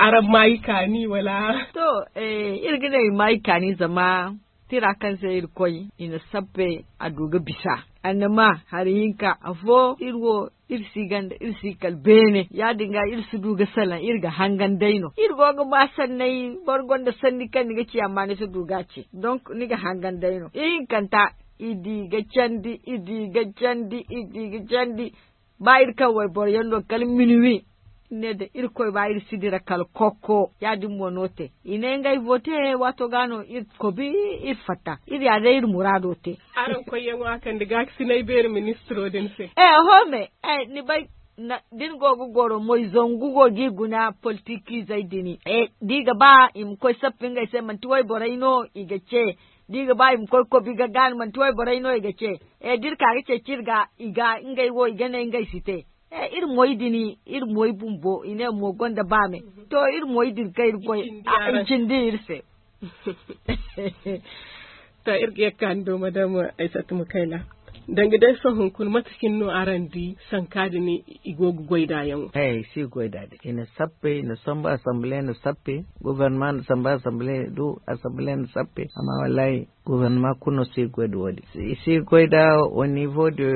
Araŋ ma i kaani, wala? To, eh, iri ga ne i ma i kaani, zama tira kaŋ se iri koy, i na sappe a du ga bisa. Annama hari hinka, afo iri wo, iri si ganda, iri si kala beene. Ya-din ga, iri si du ga salaŋ, iri ga hangan day no. Iri go ga ba sanney, boro gonda sanni kaŋ ni ga ci, amma ni si du ga a ci. Donc, ni ga hangan day no. Ihinkanta, i di ga candi, i di ga candi, i di ga candi. Ba iri kaŋ wayboro yaŋ do kala minuwi, ne da Irkoy ba iri si dira kala kokko, ya-din mo no te. I ne ngey vote, waato ga no iri kobi, iri fatta. Iri ya day iri muraado te. Araŋ koyyaŋo a kande gaakasinay beeri ministiro din se. Eh, oho me, eh, ni bay, na, da ni go ga goro moy zangu go g'i guna politikizey din. Eh, da i ga ba i ma koy sappa ngey se, manti wayborey no i ga ce. Da i ga ba i ma koy kobi ga gaani, manti wayborey no i ga ce. Eh, da iri ka ga ceeci iri ga, i ga ngey wo, i ga ne ngey si te. Eh, iri moy din, iri moy bumbo, i ne mo gonda baame. To, iri moy din kaŋ iri goy, i cindi iri se. To, iri ga ye ga ka ni do, Madam Aysatu Mukayla. Danga day sohõ hunkuna, mate cine no araŋ di sanka din i go ga goy nd'a yaŋo? Eh, i si goy nd'a din. I na sappe, i na sambu, asamble na sappe, gouvernement na sambu, asamble du, asamble na sappe. Amma wallahi, gouvernement kulu no si goy nda wo-din. I si goy nda au niveau de,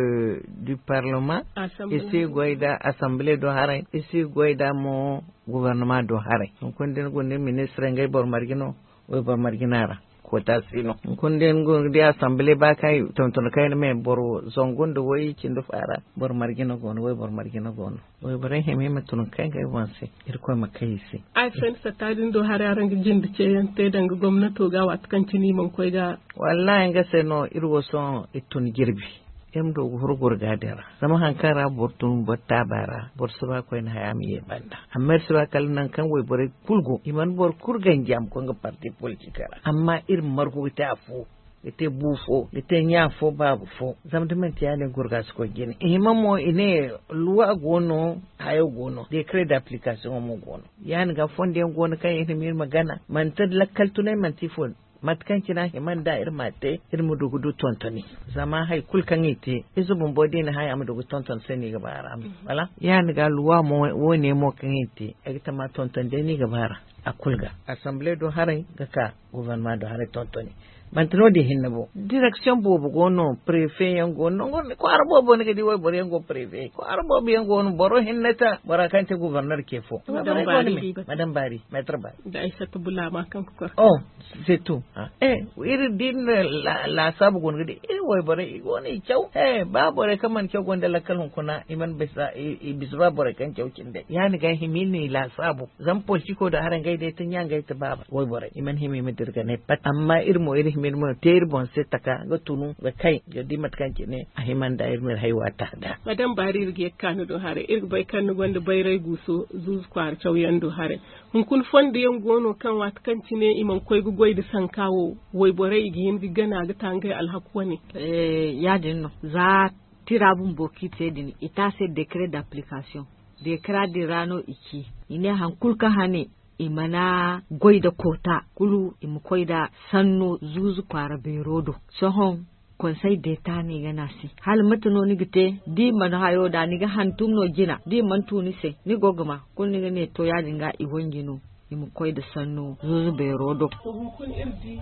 du parlement. I si goy nda assemblée do haray. I si goy nda mo gouvernement do haray. Hunkuna da ni guna ministre ngey boro marje no, wayboro marje no a ra. Koota si no. Hunkuna da ni guna ga di assemblée ba kaŋ i tonton kayna me boro zangu nda way cindi fo a ra. Boro marje no go no, wayboro marje no go no. Wayborey hima i ma tun ga kay ngey boŋ se, Irkoy ma kay i se. Ay faham satta din do haray araŋ ga jinde ceeyaŋ te danga gomnato ga, waati kaŋ cine i mana koy ga. Wallahi, nga se no iri wo sohõ iri tun jirbi. Iri ma du ga furo gurga din ra. Zama haŋ kaŋ ra boro tun boro taaba ra, boro si ba koyne haya ma ye banda. Amma iri si ba kala naŋ kaŋ wayborey kulu go, i mana boro kulu ganji a ma koy nga parti politique ra. Amma iri ma margu ga te afo. Ga te bu fo, ga te ɲa fo, baaba fo. Zama da manti yaadin, gurga si koy jine. I hima mo, i ne, luwa go no, hayo go no, décret d'application mo go no. Yaadin ga, fondo yaŋ go no kaŋ i hima iri ma gana. Manti lakkal tunay, manti ifo. Mate kaŋ cine a hima nda iri ma te, iri ma du ga du tontoni. Zama hay kulu kaŋ i te, ize bumbo da i na hay, a ma du ga tonton se no i ga ba a ra. Wala? Yaadin ga, luwa mo, wo-ne mo kaŋ i te, ay ga tama tonton day no i ga ba a ra. A kulu ga. Assemblée do haray ga ka. Gouvernement do haray tontoni. Manti no-din hinne bo. Direction boobo go no, préfet yaŋ go no. Nango kwaara boobo ni ga di wayboro yaŋ go préfet. Kwaara boobo yaŋ go no, boro hinne ta, bora kaŋ te gouverneur ce fo. Madame Bari. Madame Bari, maître Bari. Da Aysata Bulama kaŋ ga kor. Oh, c'est tout. Ah. Eh, iri din la, laasaabu go no ga di. Iri wayborey, i go no i caw. Eh, ba borey kaŋ mana caw gonda lakkal hunkuna, i mana bisa, i, i bisa ba borey kaŋ caw cindey. Yaadin ga hima iri n'i laasaabu. Zama politiko da haray ngey day ti ɲa, ngey ti baaba. Wayborey, i mana hima i ma dira ga ne pat. Amma iri mo, iri hima iri ma te iri boŋ se taka, ga tunu, ga kay, ga di mate kaŋ cine a hima nda iri ma iri hay waata nda. Madame Bari, iri ga ye ga ka ni do haray. Iri ga bay kaŋ ni gonda bayray guuso, zuuzu kwaara cawyaŋ do haray. Hunkuna fondo yaŋ go no kaŋ waati kaŋ cine i mana koy ga goy nda sanka wo, wayborey i ga hin ga gana ga ta ngey alhaku wane. Eh, yaadin no. Za tira bumbo kaŋ i te din, i te a se décret d'application. Décret din ra no i ci. I ne, haŋ kulu kaŋ hane, i mana goy nda koota, kulu i ma koy nda sanno zuuzu kwaara beero do. Sohõ, Conseil d'État no i ga ne a se. Hala mate no ni ga te, da i mana hayo nd'a, ni ga hantum no jina, da i mana tu ni se, ni go ga ma, kulu ni ga ne, to, yaadin ga i wanji no. I ma koy nda sanno zuuzu beero do. To, hunkuna iri di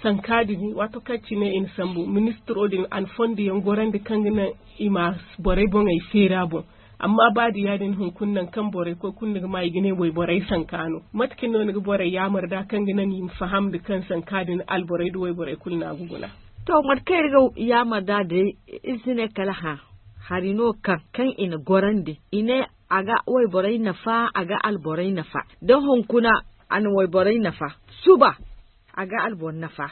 sanka din, waato kaŋ cine i na sambu, ministiro din, a na fondo yaŋ gorandi kaŋ ga naŋ i ma borey boŋey feeri a boŋ. Amma ba da yaadin, hunkuna naŋ kaŋ borey koy kulu ni ga ma i ga ne wayborey sanka no. Mate cine no ni ga borey yaamar nd'a kaŋ ga naŋ i ma faham nda kaŋ sanka din alborey nda wayborey kulu no a ga guna? To, mate kaŋ iri ga yaamar nd'a day, iri si ne kala hã, hari no kaŋ, kaŋ i na gorandi. I ne, a ga wayborey nafa, a ga alborey nafa. Da hunkuna a na wayborey nafa, suba a ga alboro nafa.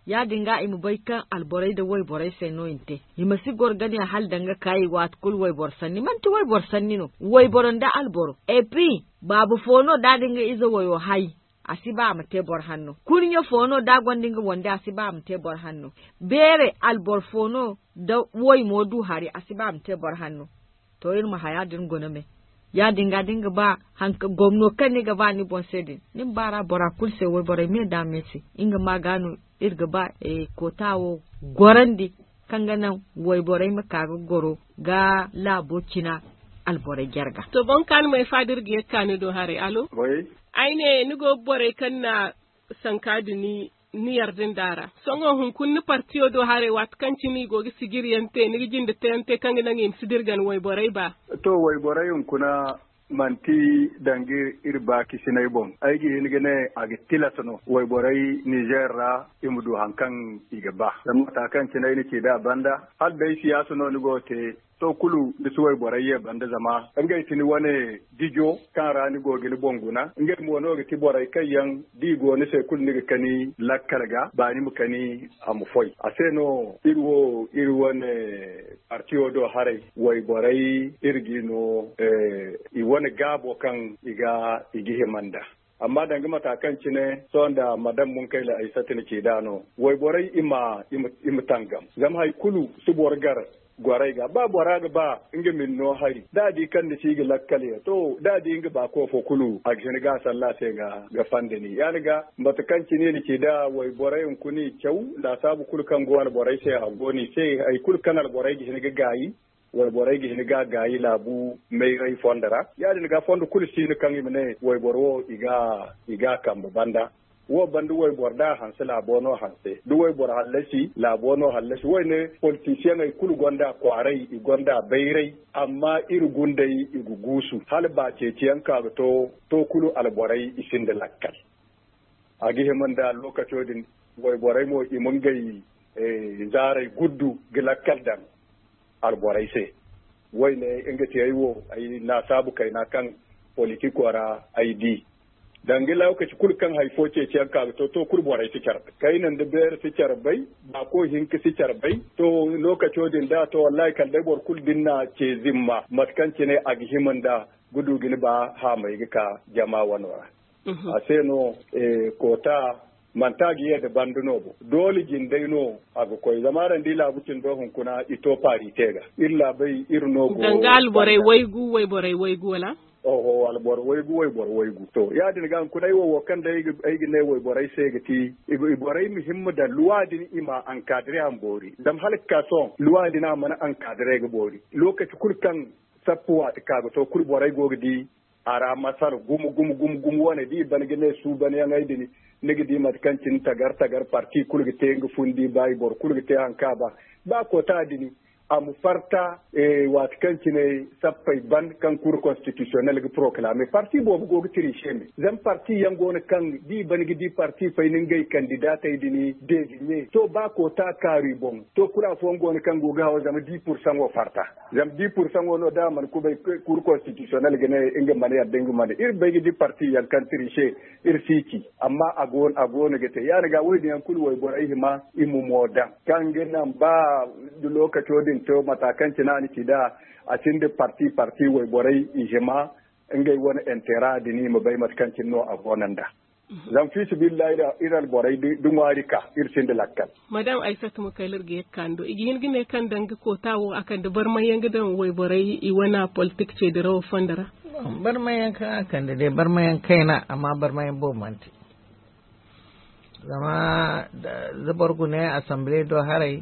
Ya-din ga i ma bay kaŋ alborey nda wayborey se no i na te. I ma si goro ga ne hala danga kaayi waati kulu wayboro sanni manti wayboro sanni no. Wayboro nda alboro epi baaba fo no da a din ga ize wayo hay. A si ba a ma te boro hanno kurɲe fo no da a gonda nga wande a si ba a ma te boro hanno. Beere alboro fo no da way mo du hari a si ba a ma te boro hanno. To iri ma haya din guna me. Ya-din ga da ni ga ba hanka gomno kaŋ ni ga ba ni boŋ se din ni ma ba ra bora kulu se wayborey me da me se. Nga ma ga no iri ga ba koota wo gorandi kaŋ ga naŋ wayborey ma ka ga goro ga laabo cina alborey jarga. To boŋ kaani ma ay fa da iri ga ye ga ka ni do haray alo. Ay ne ni go ga borey kaŋ na sanka da ni ni yarda nda a ra. Sohõ hunkuna ni partiyo do haray waati kaŋ cine i go ga sijiriyaŋ te ni ga jinde teyaŋ te kaŋ ga naŋ i ma si dirgan wayborey ba. To wayborey hunkuna manti danga iri baakisinay boŋ ay ga hin ga ne a ga tilas no wayborey nizer ra i ma du hari kaŋ i ga ba zama mata kaŋ cine ay na ci nd'a banda hala day siyaasa no ni go ga te. To kulu ni si wayborey ye banda zama ngey ti ni wane dijo kaŋ ra ni go ga ni boŋ guna ngey mo no ga ti borey kaŋ yaŋ da i go ni se kulu ni ga kani lakkal ga baani ma kani a ma foy a se no iri wo iri wane partiyo do haray wayborey iri ga i no i wane gaabo kaŋ i ga i ga hima nd'a. Amma danga mata kaŋ cine sohõ nda madam munkayla ay satina ci nd'a no wayborey i ma i ma tangam zama hari kulu si boro gar. Gorey ga ba bora ga ba nga ma ni no hari da a di kaŋ ni si ga lakkal ya to da a di nga baako fo kulu a ga hin ga a salla a se ga fanda ni ya- din ga mate kaŋ cine ni ci nd'a wayborey hunkuna i caw laasaabu kulu kaŋ go alborey se a go no i se hari kulu kaŋ alborey ga hin ga gaayi. Wayborey ga hin ga gaayi laabu mayray fondo ra ya- din ga fondo kulu si no kaŋ i ma ne wayboro wo i ga a kambe banda. Wo banda wayboro da a hanse laabo no hanse da wayboro hallasi laabo no hallasi wo- ne politisiyaŋey kulu gonda kwaaray i gonda bayray. Amma iri gundey i ga guusu hala ba ceeciyaŋ ka ga to to kulu alborey i sinda lakkal. A ga hima nda lokaco din wayborey mo i ma ngey zaaray guddu ga lakkal daŋ alborey se. Wo- ne nga tiyey wo ay laasaabu kayna kaŋ politiko ra ay di danga lokaci kulu kaŋ hari fo ceeciyaŋ ka ga to to kulu borey si care bay kayna nda beere si care bay. Baako hinka si care bay to lokaco din da to wallahi kala day boro kulu da ni na ce zimma mate kaŋ cine a ga hima nda ga du ga ni ba haamay ga ka jama wano ra. A se no koota manti a ga ye nda banda no bo doole jindey no a ga koy zama araŋ di laabu cindo hunkuna i to paari te ga iri laabey iri no go danga alborey waygu wayborey waygu wala. Oho alboro waygu wayboro waygu to ya- din ga hunkuna ay wo wo kaŋ day ay ga ne wayborey se ga ti i borey ma himma daŋ luwa din i ma ankadire a ma boori zama hala ga ka sohõ luwa din a mana ankadire ga boori. Lokaci kulu kaŋ sappu waati ka ga to kulu borey go ga di a ra masala gumo gumo gumo gumo wane da i ban ga ne suubanyaŋey din ni ga di mate kaŋ cine tagar tagar parti kulu ga te nga fundi ba i boro kulu ga te hari kaŋ a ba. Ba koota din a ma farta waati kaŋ cine sappey ban kaŋ cour constitutionnel ga proclame parti boobo go ga tiriise me zama parti yaŋ go no kaŋ da i ban ga di parti fay ni ngey kandidatey din deeziɲe to ba koota kaaru i boŋ. To kulu afooyaŋ go no kaŋ go ga haw zama di pursaŋo farta. Zama di pursaŋo no da a mana kubay cour constitutionnel ga ne nga mana yadda nga mana iri bay ga di parti yaŋ kaŋ tiriise iri si ci. Amma a go no ga te ya- din ga wo- din yaŋ kulu wayborey hima i ma mo daŋ kaŋ ga naŋ ba lokaco din to mata kaŋ cine a na ci nd'a a sinda parti parti wayborey i hima ngey wane intera din i ma bay mate kaŋ cine no a go no nd'a. Zama fi sabilillahi iri alborey da ŋwaari ka iri sinda lakkal. Madam aysatu ma kay lirga ye ga kaani do i ga hin ga ne kaŋ danga koota wo a kande barmayaŋ ga daŋ wayborey i wane politik ceedirawo fondo ra. Barmayaŋ kaŋ a kande day barmayaŋ kayna amma barmayaŋ boobo mana te. Zama da boro gune assemblee do haray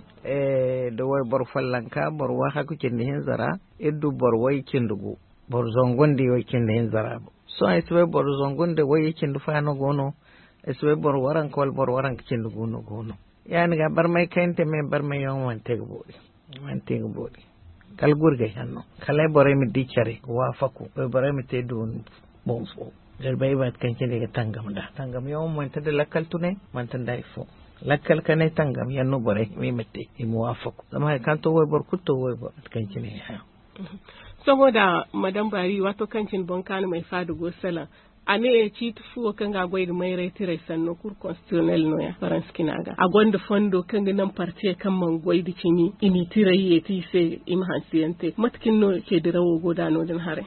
da wayboro follonka boro waahaku cindi hinza ra. Iri du boro way cindi gu boro zangu nda way cindi hinza ra. Sohõ ay si bay boro zangu nda way cindi fo no go no. Ay si bay boro waranka wala boro waranka cindi gu no go no. Ya- din ga barmay kayna te me barmay yaŋo mana te ga boori. Mana te ga boori. Kala gurgay hanno kala borey ma di care ga waafaku borey ma te duwun boŋ fo. Zarbay mate kaŋ cine ga tangam nd'a tangam yaŋo manti nda lakkal tunay manti nda hari fo. Lakkal kanay tangam yaŋ no borey hima i ma te i ma waafaku zama hari kaŋ to wayboro kulu to wayboro mate kaŋ cine. Sohõ da madam baari waato kaŋ cine boŋ kaani ma ay faada go salaŋ. A ne ciiti fu wo kaŋ ga a goy ga mayray tiray sanno kur konstitusiyonel no- ya faransi cina ga a gonda fondo kaŋ ga naŋ partiyey kaŋ mana goy da cimi i n'i tiray yeeti i se. I ma hanse yaŋ te mate kaŋ no ceedirawo go da no- din haray?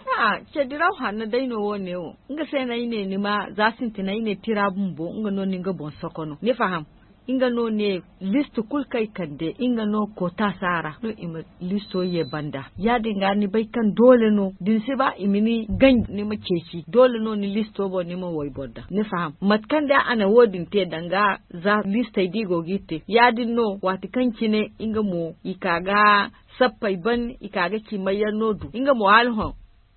Ceediraw hanno day no wo- ne wo. Nga se no ay ne ni ma za sintina ay ne tira bumbo nga no ni nga boŋ soko no ni faham. Nga no ne listi kulu kaŋ ay kande nga no koota si a ra no i ma listo ye banda. Ya- din ga ni bay kaŋ doole no da ni si ba i ma ni ganji ni ma ceeci doole no ni listo boŋ ni ma wayboro daŋ ni faham. Mate kaŋ day a na wo- din te danga za listey da i go ga iri te ya- din no waati kaŋ cine nga mo i ka ga sappey ban i ka ga ci mayyaŋ no du nga mo hala hõ.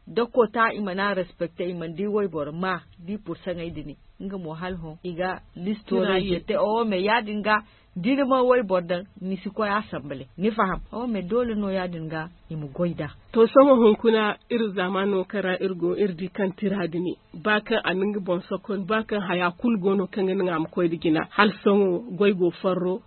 Da koota i mana respekte i mana di wayboro ma di pursaŋey din nga mo hala hõ i ga listo ra i ga te owo me ya- din ga da iri mana wayboro daŋ ni si koy asambale ni faham. Owo me doole no ya- din ga i ma goy nd'a. To sohõ hunkuna iri zaamaano kaŋ ra iri go iri di kaŋ tira din ba kaŋ a na nga boŋ sokon ba kaŋ haya kulu go no kaŋ ga naŋ a ma koy nda jina hala sohõ goy go farro.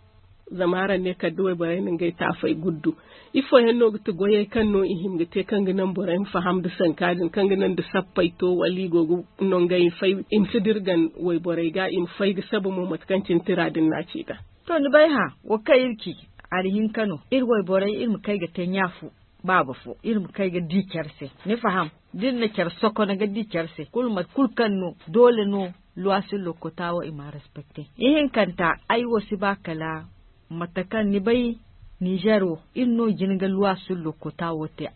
Zama araŋ ne kala da wayborey na ngey taafey guddu ifo yaŋ no ga ti goyey kaŋ no i hima ga te kaŋ ga naŋ borey ma faham nda sanka din kaŋ ga naŋ da sappey to wala i go ga nongey fay i ma si dirgan wayborey ga i ma fay ga saba mo mate kaŋ cine tira din no a ci ga. To ni bay hã wo kaŋ iri ci hari hinka no iri wayborey iri ma kay ga te ɲa fo baaba fo iri ma kay ga di care se ni faham. Da iri na care sokona ga di care se kulu mate kulu kaŋ no doole no luwa sillo kota wo i ma a respekte. Ihinkanta ay wo si ba kala mate kaŋ ni bay nizer wo iri no jina ga luwa sillo kota wo te.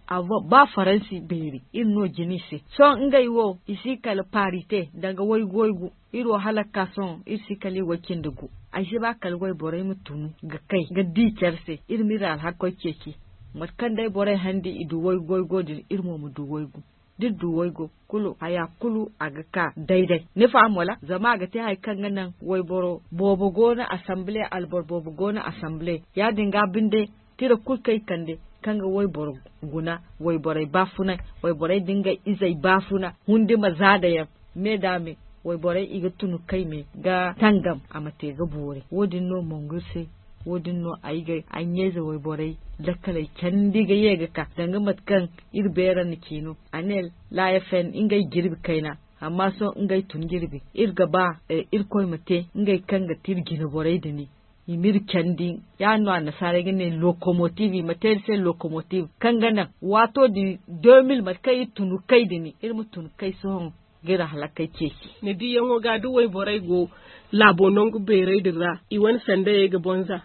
Ba faransi beeri iri no jina i se sohõ ngey wo i si kala parite danga waygu waygu. Iri wo hala ga ka sohõ iri si kala i way cindi gu. Ay si ba kala wayborey ma tunu ga kay ga di care se iri ma iri alhakoy ceeci. Mate kaŋ day borey handi i du waygu waygo din iri mo ma du waygu. Da iri du waygo kulu haya kulu a ga ka dayday ni faham wala zama a ga te hari kaŋ ga naŋ wayboro boobo go no asambile alboro boobo go no asambile. Ya- din ga binde tira kulu kaŋ i kande kaŋ ga wayboro guna wayborey baafunay wayborey da ngey izey baafuna hundi ma za da yaŋ me da me wayborey i ga tunu kay me ga tangam a ma te ga boori wo- din no mongu se. Wo- din no ay ga ay ɲayze wayborey lakkaley candi ga ye ga ka danga mate kaŋ iri beera na ci no a ne laayafen ngey jirbi kayna. Amma sohõ ngey tun jirbi iri ga ba irkoy ma te ngey kaŋ ga ti iri jina borey din i ma iri candi. Ya- din no annasaarey ga ne lokomotiv i ma te iri se lokomotiv kaŋ ga naŋ waato din deux mille mate kaŋ iri tunu kay din iri ma tunu kay sohõ ga iri halakey ceeci. Ni diyaŋo ga da wayborey go laabo nangu beerey din ra i wane sandayey ga bonza.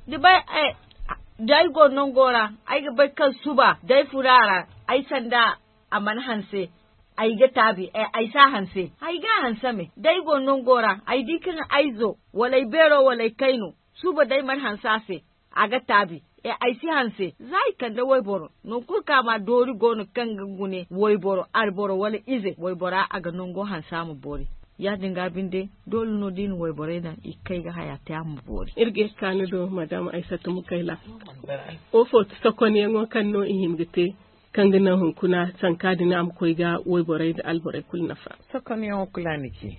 Ni bay da ay go nango ra ay ga bay kaŋ suba da ay furo a ra ay sanda a mana hanse. Ay ga taabi ay si a hanse ay ga a hanse me da ay go nango ra ay di kaŋ ay zo wala ay beero wala ay kayno suba da ay mana hanse a se a ga taabi. Ay si hanse za i kande wayboro nangu kulu kaŋ a ma doori go no kaŋ ga gune wayboro alboro wala ize waybora a ga nango hanse a ma boori. Ya- din ga binde doole no da i na wayborey daŋ i ga kay ga haya te a ma boori. Iri ga ye ga ka ni do madam aysatu mukayla. Wo fo ti sokonyaŋo kaŋ no i hima ga te kaŋ ga naŋ hunkuna sanka din a ma koy ga wayborey nda alborey kulu nafa? Sokonyaŋo kulu a na ci.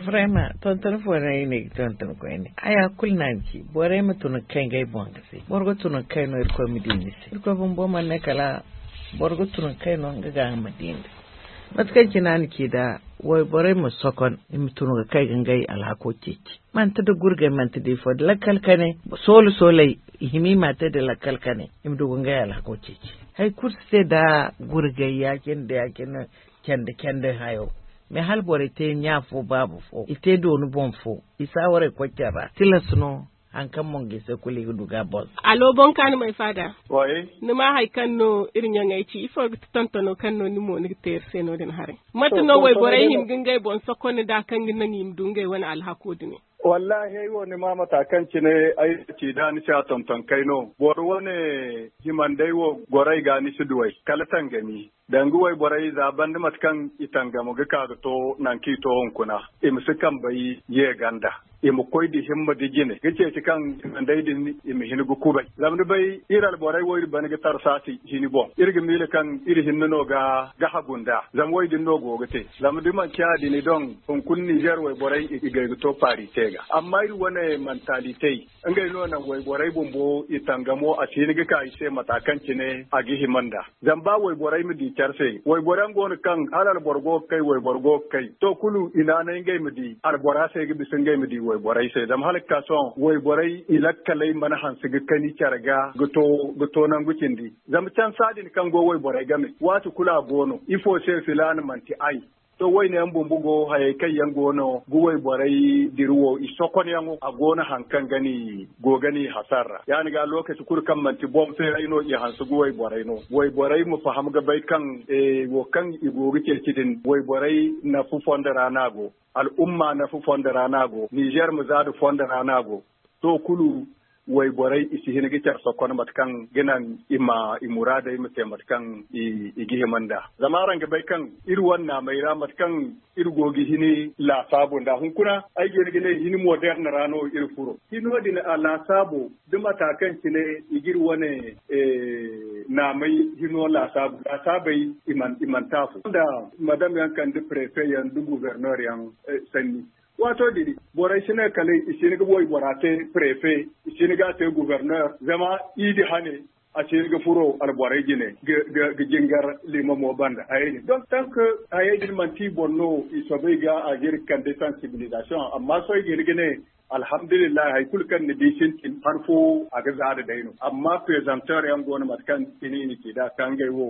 Vraiment tonton fo no ay ne ga tonton koyne haya kulu no a na ci borey ma tun ga kay ngey boŋ ga se boro ga tun ga kay no irkoy ma di ni se irkoy bumbo mana ne kala boro ga tun ga kay no nga ga ma di ni se. Mate kaŋ cine a na ci da wayborey ma sokon i ma tun ga kay ga ngey alhako ceeci. Manti da gurgay manti da ifo da lakkal kane soolu sooley i hima i ma te da lakkal kane i ma du ga ngey alhako ceeci. Hari kulu si te da gurgay ya- cine da ya- cine candi candi hayo. Mais hala borey te ɲa fo baaba fo i te dooni boŋ fo i si a warey koy care ra tilas no. Hari kaŋ mo ga i se kulu i ga du ga a boŋ. Alo boŋ ka ni ma ay faada. Ni ma hari kaŋ no iri ɲaŋey ci ifo ga ti tontono kaŋ no ni mo ni ga te iri se no- din haray? Mate no wayborey hima ga ngey boŋ sokon nda kaŋ ga naŋ i ma du ngey wane alhako dumi? Wallahi ay wo ni ma mata kaŋ cine ay ci da ni ci a tonton kay no boro wane himandey wo goro ay ga ni si duwey kala tangami. Danga wayborey za banda mate kaŋ i tangamo ga ka ga to nangu kaŋ i to hunkuna i ma si kambey ye ganda. I ma koy da himma da jine ga ceeci kaŋ himandey din i ma hin ga kubay zama ni bay iri alborey wo iri bana ga tarsaasi hini boŋ iri ga miila kaŋ iri hinne no ga hagu nd'a zama wo- din no go ga te. Zama da manci ya- din i doŋ hunkuna nizer wayborey i gay ga to paari te ga amma iri wane mantalitey ngey no naŋ wayborey bumbo i tangamo a si hin ga ka i se mata kaŋ cine a ga hima nd'a. Zama ba wayborey ma di care se. Wayborey yaŋ go no kaŋ hala alboro go ga kay, wayboro go ga kay. To, kulu i naanay ngey ma di albora se ga bisa ngey ma di wayborey se. Zama hala ga ka sohõ wayborey i lakkaley mana hanse ga kani care ga ga to nangu cindi. Zama cansa din kaŋ go wayborey game, waati kulu a go no. Ifo se filaana manti ay? To, wayne yaŋ bumbo go, hayey kaŋ yaŋ go no ga wayborey diri wo, i sokonyaŋo, a go no haŋ kaŋ ga ni go ga ni hasar ra. Yaadin ga, lokaci kulu kaŋ manti boŋ feeray no i hanse ga wayborey no. Wayborey ma faham ga bay kaŋ wo kaŋ i go ga ceeci din, wayborey nafu fondo ra no a go, al'umma nafu fondo ra no a go, Nizer ma zaadu fondo ra no a go. To, kulu wayborey i si hin ga care sokon mate kaŋ ga naŋ i ma i muraadey ma te mate kaŋ i ga hima nd'a. Zama araŋ ga bay kaŋ iri wane naamey ra, mate kaŋ iri go ga hin laasaabo nd'a hunkuna, ay ga hin ga ne hin moderne ra no iri furo. Hino din a laasaabo da mata kaŋ cine i ga iri wane naamey hino laasaabo, laasaabey i mana taafu nda madam yaŋ kande prefe yaŋ da gouverneur yaŋ sanni. Waato din borey si ne kala i si hin ga waybora te prefe, i si hin ga a te gouverneur, zama i di hane a si hin ga furo alborey jine ga jingar limamo banda hayey din. Donc tant que hayey din manti i boŋ no i soobay ga a ga iri kande sensibilisation. Amma sohõ i ga hin ga ne alhamdulillahi, hari kulu kaŋ ni di sintin han fo a ga zaada day no. Amma presenteur yaŋ go no mate kaŋ cine i na ci nd'a kaŋ ngey wo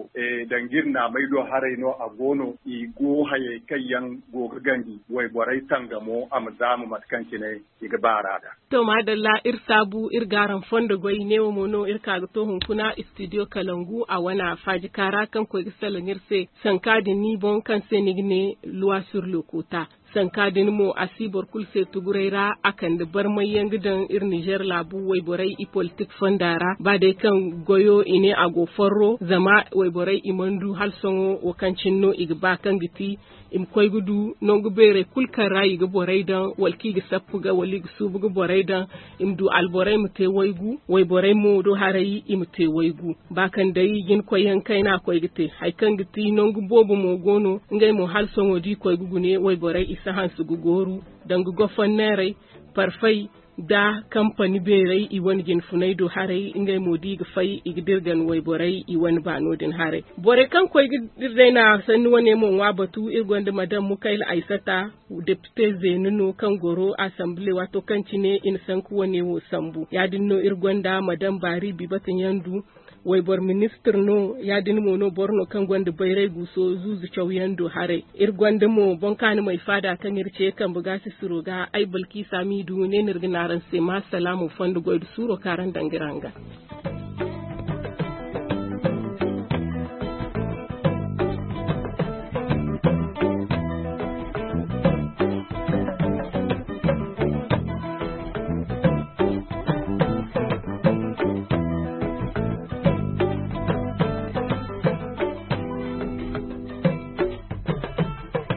danga iri naamey do haray no a go no. I go hayey kaŋ yaŋ go ga ganji wayborey tangamo a ma zaamu mate kaŋ cine i ga baar'a nd'a. To, maadalla, iri saabu iri g'araŋ fondo goy. Neewo mo no iri ka ga to hunkuna studio kalangu a wane faajika ra kaŋ koy ga salaŋ iri se sanka din ni boŋ kaŋ se ni ga ne loi sur le quota. Sanka din mo a si boro kulu se tuguray ra a kande barmay yaŋ ga daŋ iri nizer laabu wayborey i politik fonda ra ba day kaŋ goyo i ne a go forro zama wayborey i mana du hala sohõ wo kaŋ cine no i ga ba kaŋ ga ti i ma koy ga du nangu beerey kulu kaŋ ra i ga borey daŋ wala kaŋ i ga sappu ga wala i ga suubu ga borey daŋ. I ma du alborey ma te waygu, wayborey mo do haray i ma te waygu. Ba kaŋ day jina koyyaŋ kayna koy ga te hari kaŋ ga ti nangu boobo mo go no. Ngey mo hala sohõ da i koy ga gune wayborey i si hanse ga gooru danga gofonneerey, parfey, da kampani beerey i wane jina funay do haray ngey mo da i ga fay i ga dirgan wayborey i wane baano din haray. Borey kaŋ koy ga dira day na sanni wane mo ŋwa batu iri gonda madam mukayla aysata, depite zeena no kaŋ goro asambile waato kaŋ cine i na sanku wane wo sambu ya- din no iri gonda madam baari bibata ɲandu, wayboro ministir no. Ya- din mo no boro no kaŋ gonda bayray guuso zuuzu cawyaŋ do haray. Iri gonda mo boŋ kaani may faada kaŋ iri ce kambe ga sisiro ga ay balkiisa m'i du ne no iri ga ne araŋ se ma salaamo fondo goy nda suuro kaŋ araŋ dangiraŋ ga.